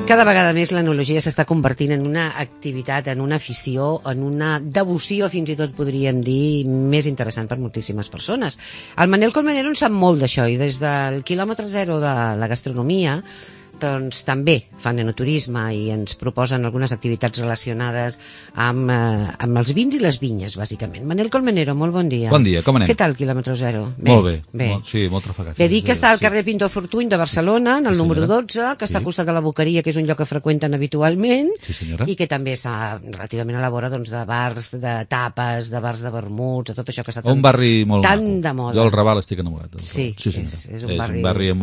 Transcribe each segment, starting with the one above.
Cada vegada més l'enologia s'està convertint en una activitat, en una afició, en una devoció, fins i tot podríem dir, més interessant per moltíssimes persones. El Manel Colmenero en sap molt d'això i des del quilòmetre zero de la gastronomia doncs també fan enoturisme i ens proposen algunes activitats relacionades amb els vins i les vinyes, bàsicament. Manel Colmenero, molt bon dia. Bon dia, com anem? Què tal, quilòmetre zero? Molt bé. Sí, molt trafegat. Bé, dic que està al carrer Pintor Fortuny de Barcelona, en el número 12, que està al costat de la Boqueria, que és un lloc que freqüenten habitualment, i que també està relativament a la vora doncs, de bars, de tapes, de bars de vermuts, de tot això que està un barri molt tan de moda. Jo al Raval estic enamorat. Sí, és un barri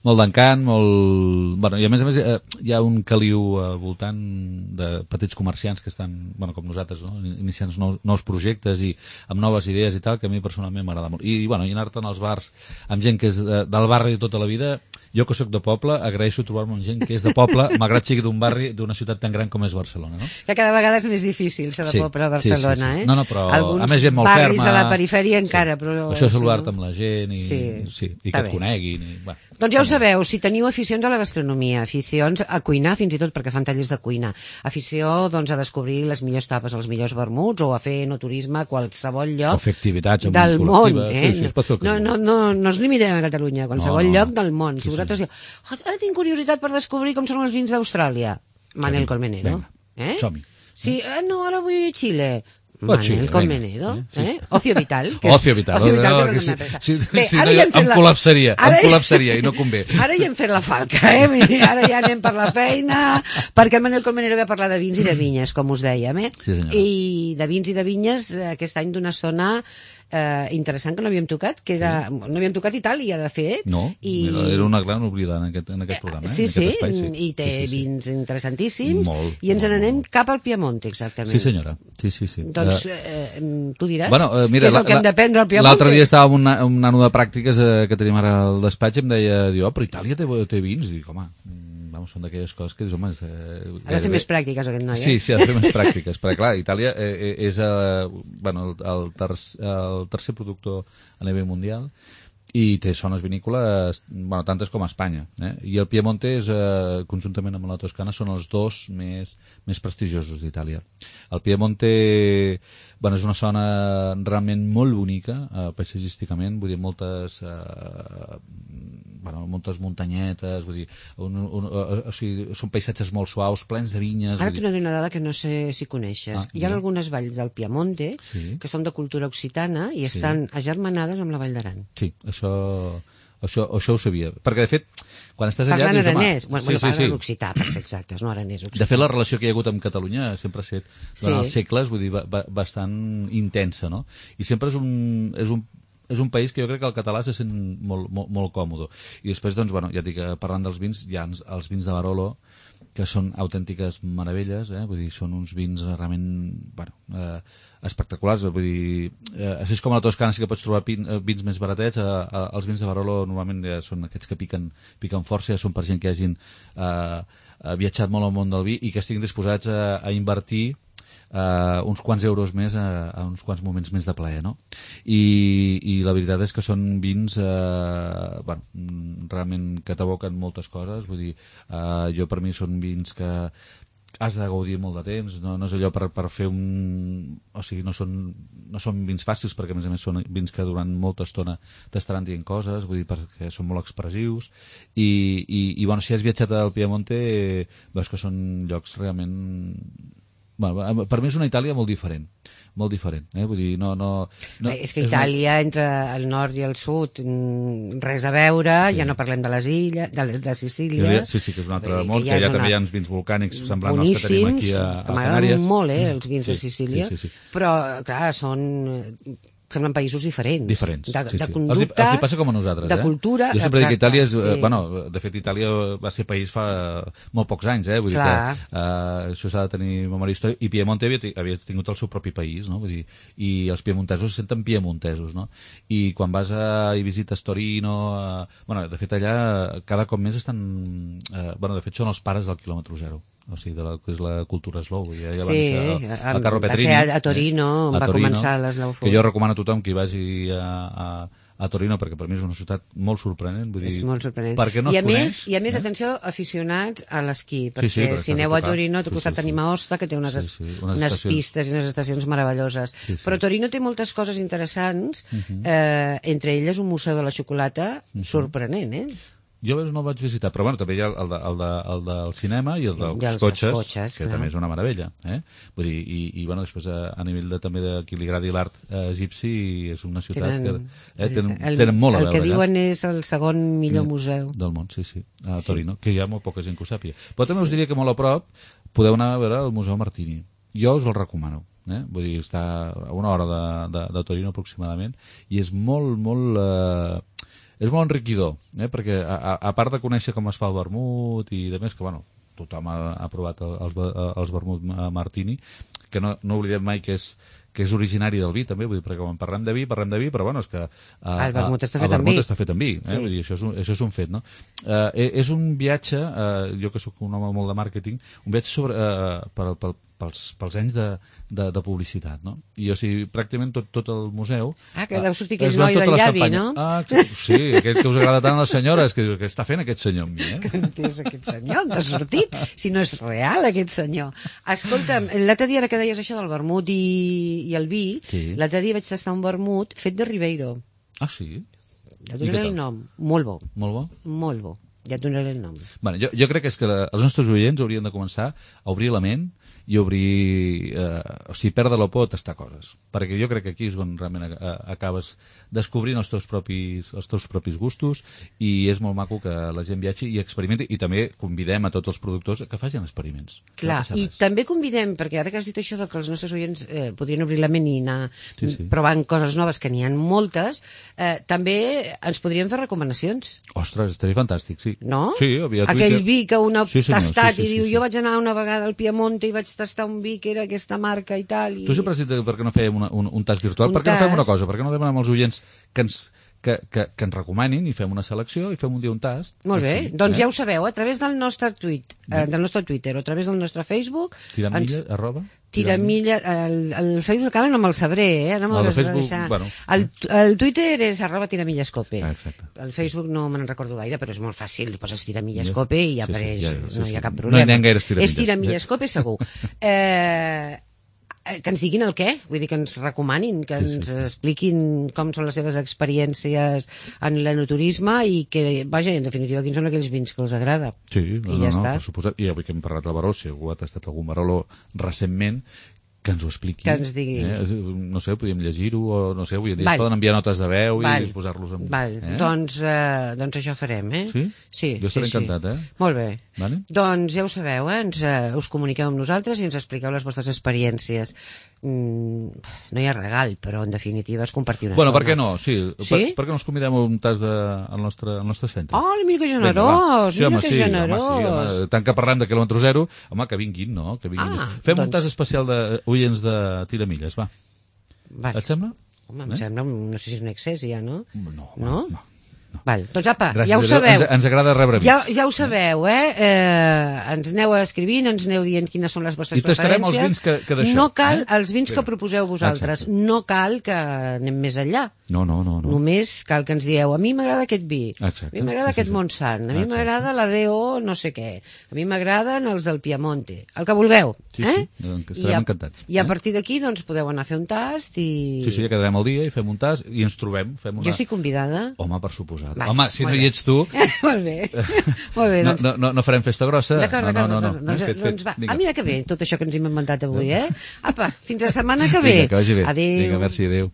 molt d'encant, Bueno, i a més hi ha un caliu al voltant de petits comerciants que estan, com nosaltres, no? Iniciant nous projectes i amb noves idees i tal, que a mi personalment m'agrada molt. I anar-te'n als bars amb gent que és del barri de tota la vida, jo que sóc de poble, agraeixo trobar-me amb gent que és de poble, malgrat sigui d'un barri, d'una ciutat tan gran com és Barcelona, no? Que cada vegada és més difícil ser de poble a Barcelona, sí. No, però alguns a més gent molt barris ferma, a la perifèria encara, però... Això és saludar-te amb la gent i que et coneguin. Doncs ja ho sabeu, si teniu aficions a la gastronomia, aficions a cuinar, fins i tot perquè fan tallers de cuina, afició doncs, a descobrir les millors tapes, els millors vermuts, o a fer enoturisme a qualsevol lloc del món. No ens limitem a Catalunya, a qualsevol lloc del món. Si vosaltres diu, ara tinc curiositat per descobrir com són els vins d'Austràlia. Manel Colmenero. Som-hi. Sí, no, ara vull Xile. Manel Colmenero, Ocio Vital. Ocio Vital. Em col·lapsaria i no convé. Ara ja hem fet la falca, ara ja anem per la feina, perquè el Manel Colmenero ve a parlar de vins i de vinyes, com us dèiem, i de vins i de vinyes aquest any d'una zona interessant que no havíem tocat, no havíem tocat Itàlia, de fet. No, era una gran oblidada en aquest programa, en aquest espai. I té vins interessantíssims, i ens n'anem cap al Piemonte, exactament. Sí, senyora. Sí. Doncs tu diràs què és el que hem d'aprendre al Piemonte. L'altre dia estava amb un nano de pràctiques que tenim ara al despatx i em deia, però Itàlia té vins? I dic, home, són d'aquelles coses que dius, home... Ha de fer més pràctiques aquest noi, Sí, ha de fer més pràctiques, perquè clar, Itàlia és el tercer productor a nivell mundial i té zones vinícoles, tantes com a Espanya. I el Piemonte, conjuntament amb la Toscana, són els dos més prestigiosos d'Itàlia. El Piemonte és una zona realment molt bonica, paisatgísticament, vull dir, moltes muntanyetes, vull dir, són paisatges molt suaus, plens de vinyes... Ara t'he donat una dada que no sé si coneixes. Hi ha algunes valls del Piemonte que són de cultura occitana i estan agermanades amb la Vall d'Aran. Sí, això ho sabia. Perquè, de fet, quan estàs allà... Parlant aranès. Parlant occità, per ser exactes, no aranès. De fet, la relació que hi ha hagut amb Catalunya sempre ha estat, durant els segles, vull dir, bastant intensa, no? I sempre és un país que jo crec que el català se sent molt còmode. I després, doncs, ja et dic, parlant dels vins, hi ha els vins de Barolo, que són autèntiques meravelles, vull dir, són uns vins realment, espectaculars, vull dir, així com a la Toscana sí que pots trobar vins més baratets, els vins de Barolo normalment són aquests que piquen força, són per gent que hagin viatjat molt al món del vi i que estiguin disposats a invertir uns quants euros més a uns quants moments més de plaer, no? I la veritat és que són vins realment que t'evoquen moltes coses, vull dir, jo per mi són vins que has de gaudir molt de temps, no és allò per fer o sigui, no són vins fàcils, perquè a més són vins que durant molta estona t'estaran dient coses, vull dir, perquè són molt expressius i si has viatjat al Piemonte veus que són llocs realment... per mi és una Itàlia molt diferent, vull dir, és que Itàlia, entre el nord i el sud, res a veure, ja no parlem de les illes, de Sicília... Sí, que és un altre món, que allà també hi ha uns vins volcànics semblants als que tenim aquí a Canàries. M'agraden molt, els vins de Sicília, però, clar, semblen països diferents. De conducta, els passa com a nosaltres, de cultura... Jo sempre dic que Itàlia és... de fet, Itàlia va ser país fa molt pocs anys, vull dir que això s'ha de tenir memòria històrica, i Piemonte havia tingut el seu propi país, no? Vull dir, i els piemontesos se senten piemontesos, no? I quan vas i visites Torino... de fet, allà cada cop més estan... de fet, són els pares del quilòmetre zero. O sigui, que és la cultura slow. El Carlo Petrini, a Torino, va començar l'Slow Food. Que jo recomano a tothom que hi vagi a a Torino, perquè per mi és una ciutat molt sorprenent. Vull dir, és molt sorprenent. perquè no es coneix. I a més, atenció, aficionats a l'esquí, perquè si aneu a Torino, t'ha costat tenim Aosta, que té unes pistes i unes estacions meravelloses. Però Torino té moltes coses interessants, entre elles un museu de la xocolata sorprenent, Jo no el vaig visitar, però bueno, també hi ha el del cinema i el dels cotxes, que també és una meravella. Vull dir, i bueno, després a nivell també de qui li agradi l'art egipci, és una ciutat que tenen molt a veure. El que diuen és el segon millor museu del món, sí, a Torino, que hi ha molt poca gent que ho sàpiga. Però també us diria que molt a prop podeu anar a veure el Museu Martini. Jo us el recomano. Vull dir, està a una hora de Torino aproximadament, i és molt és molt enriquidor, perquè a part de conèixer com es fa el vermut i de més, que bueno, tothom ha provat els vermut Martini, que no oblidem mai que és originari del vi també, vull dir, perquè quan parlem de vi, però bueno, és que el vermut està fet amb vi, vull dir, això és un fet, no? És un viatge, jo que sóc un home molt de màrqueting, un viatge pels anys de publicitat, no? I o sigui, pràcticament tot el museu... que deu sortir aquell noi del llavi, no? Sí, aquell que us agrada tant a les senyores, que està fent aquest senyor amb mi, Que és aquest senyor, on t'ha sortit? Si no és real, aquest senyor. Escolta'm, l'altre dia, ara que deies això del vermut i el vi, l'altre dia vaig tastar un vermut fet de Ribeiro. Ah, sí? Ja donaré el nom. Molt bo. Molt bo? Molt bo. Ja et donaré el nom. Bueno, jo crec que és que els nostres oients haurien de començar a obrir la ment i obrir, o sigui, perdre-la por a tastar coses, perquè jo crec que aquí és on realment acabes descobrint els teus propis gustos, i és molt maco que la gent viatgi i experimenti, i també convidem a tots els productors que facin experiments. Clar, i també convidem, perquè ara que has dit això que els nostres oients podrien obrir la ment i anar provant coses noves, que n'hi ha moltes, també ens podrien fer recomanacions. Ostres, estaria fantàstic, sí. No? Sí, aquell vi que un ha tastat i diu, jo vaig anar una vegada al Piemonte i vaig tastar un vi que era aquesta marca i tal. Tu sempre has dit per què no fèiem un tast virtual, per què no fem una cosa, per què no demanem als oients que ens recomanin i fem una selecció i fem un dia un tast. Molt bé, doncs ja ho sabeu, a través del nostre Twitter o a través del nostre Facebook. Tiramilla, el Facebook encara no me'l sabré, no me'l has de deixar. El Twitter és @tiramillascope. El Facebook no me'n recordo gaire, però és molt fàcil, poses tiramillascope i ja apareix, no hi ha cap problema. No hi ha gaires tiramilles. És tiramillascope segur. Que ens diguin el què, vull dir que ens recomanin, que ens expliquin com són les seves experiències en l'enoturisme i que, vaja, en definitiva, quins són aquells vins que els agrada. Sí, per suposat. I avui que hem parlat del Barolo, si algú ha tastat algun Barolo recentment, que ens ho expliqui. Que ens digui. No sé, podríem llegir-ho, o no sé, avui en dia es poden enviar notes de veu i posar-los en... Doncs això farem, Sí? Jo estaré encantat, Molt bé. Doncs ja ho sabeu, us comuniqueu amb nosaltres i ens expliqueu les vostres experiències. No hi ha regal, però en definitiva és compartir una estona. Per què no? Sí. Per què no els convidem a un tast al nostre centre? Oh, mira que generós, generós. Tant que parlem de quilòmetre zero, home, que vinguin, no? Fem un tast especial d'oients de Tiramilles, va. Et sembla? Home, em sembla, no sé si és un excés ja, no? No. Val, doncs apa, gràcies, ja ho sabeu. Ens agrada rebre amics. Ja ho sabeu, ens aneu escrivint, ens aneu dient quines són les vostres preferències. I tastarem els vins que d'això. No cal els vins que proposeu vosaltres. No cal que anem més enllà. No. Només cal que ens dieu, a mi m'agrada aquest vi, a mi m'agrada aquest Montsant, a mi m'agrada la DO no sé què, a mi m'agraden els del Piemonte, el que vulgueu. Estarem encantats. I a partir d'aquí doncs podeu anar a fer un tast i... Sí, ja quedarem al dia i fem un tast i ens trobem. Jo estic convidada. Home, per suposar. Home, si no hi ets tu... Molt bé. Doncs... No farem festa grossa. D'acord. Doncs va, mira que bé, tot això que ens hem inventat avui, Apa, fins la setmana que ve. Vinga, que vagi bé. Adéu. Vinga, merci, adéu.